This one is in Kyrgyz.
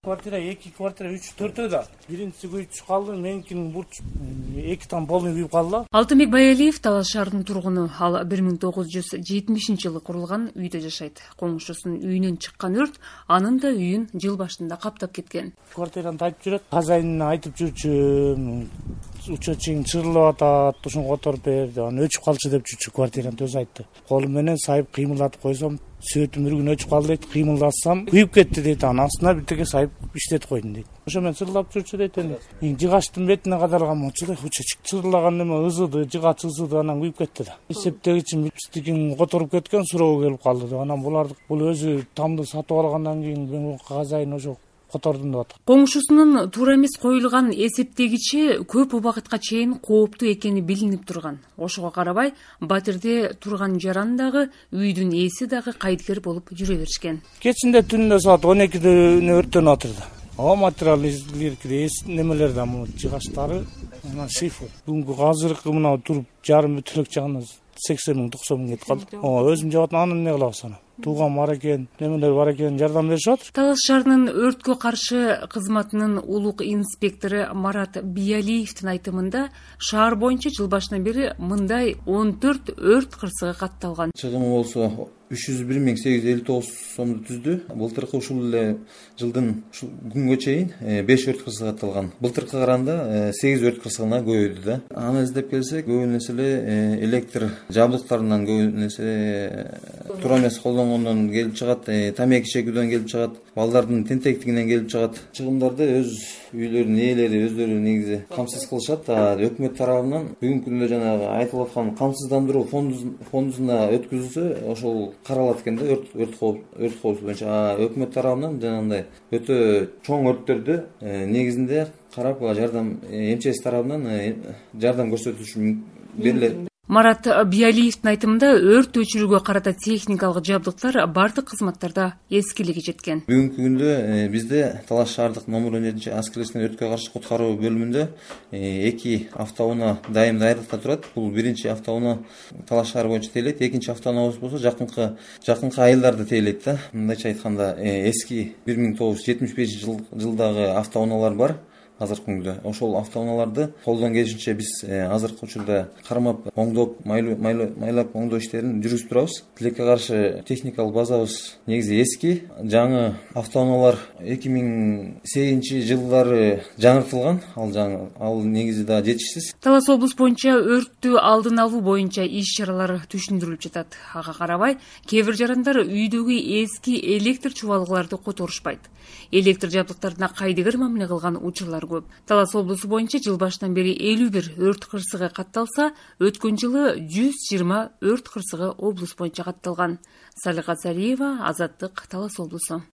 Квартира 2-4 да. Биринчиси күйүп калды, меникинин бурч 2 там полный күйүп калды. Алтынбек Баялиев Талас шаарынын тургуну. Ал 1970-жылы курулган үйдө жашайт. Коңшусунун үйүнөн чыккан өрт анын да үйүн жыл башында каптап кеткен. Квартираны тайып жүрөт. Хозяинине айтып жүрчү, учетчиң чырылып атат, ушуну которуп бер деп, аны өчүп калчу деп жүрчү, квартираны өзү айтты. Колум менен сайып кыймылдатып койсом, сөтүм үргүн өчүп калды дейт, кыймылдатсам күйүп кетти дейт, анын астына бирдеке сайып иштетип койдум дейт. Ошо мен чырылдап жүрчү дейт эми. Жыгачтын бетине кадарган болчу да, учетчик чырылаган неме ызыды, жыгач ызыды, анан күйүп кетти да. Эсептегичим биздикин которуп кеткен, суроого келип калды да. Анан бул өзү тамды сатып алгандан кийин мен хозяин ошо котордум деп атат. Коңшусунун туура эмес коюлган эсептегичи көп убакытка чейин кооптуу экени билинип турган. Ошого карабай, батирде турган жаран дагы, үйдүн ээси дагы кайдыгер болуп жүрө беришкен. Кечинде түндө саат 12-де өрттөнүп атырды. Материалдер немелер да, жыгачтары, анан шифр. Бүгүнкү азыркы мына туруп жарым бүтүлүк жагына 80 000 90 000 кетип калды. Өзүм жаап атам, анын эмне кылабыз аны? Тууган бар экен, немелер бар экен, жардам беришип атыр. Талас шаарынын өрткө каршы кызматынын улук инспектору Марат Биялиевдин айтымында, шаар боюнча жыл башынан бери мындай 14 өрт кырсыгы катталган. Чыгымы болсо 301.859 сомду түздү. Былтыркы ушул эле жылдын күнгө чейин 5 өрт кырсыгы катталган. Былтыркыга караганда 8 өрт кырсыгына көбөйдү да. Аны издеп келсек, көбү нерселер электр жабдыктарынан, көбү нерсе туура эмес колдонгондон келип чыгат, тамеки чегүүдөн келип чыгат, балдардын тентектигинен келип чыгат. Чыгымдарды өз үйлөрүнүн ээлери өздөрү негизи камсыз кылышат. Өкмөт тарабынан бүгүнкү күндө жанагы айтылып аткан камсыздандыруу фондуна өткүзүлсө, ошол каралат экен да, өрт коопсуздугу боюнча. Өкмөт тарабынан жанагындай өтө чоң өрттөрдү негизинде карап жардам МЧС тарабынан жардам көрсөтүлүшү берилет. Марат Биялиевдин айтымында, өрт өчүрүүгө карата техникалык жабдыктар бардык кызматтарда эскилиги жеткен. Бүгүнкү күндө бизде Талас шаардык номер 17 аскерлештин өрткө каршы куткаруу бөлүмүндө 2 автоунаа дайым даярдыкта турат. Бул биринчи автоунаа Талас шаары боюнча тейлейт, экинчи автоунаабыз болсо жакынкы айылдарда тейлейт да. Мындайча айтканда, эски 1975 жылдагы автоунаалар бар. Азыркы күндө ошол автоунааларды колдон келишинче биз азыркы учурда кармап, оңдоп, майлап оңдоо иштерин жүргүзүп турабыз. Тилекке каршы техникалык базабыз негизи эски. Жаңы автоунаалар 2008 жылдары жаңыртылган. Ал негизи да жетишсиз. Талас облус боюнча өрттү алдын алуу боюнча иш-чаралар түшүндүрүлүп жатат. Ага карабай, кээ бир жарандар үйдөгү эски электр чубалгыларды которушпайт. Электр жабдыктарына кайдыгер мамиле кылган учурлар көп. Талас облусу боюнча жыл башынан бери 51 өрт кырсыгы катталса, өткөн жылы 120 өрт кырсыгы облус боюнча катталган. Салика Цариева, Азаттык, Талас облусу.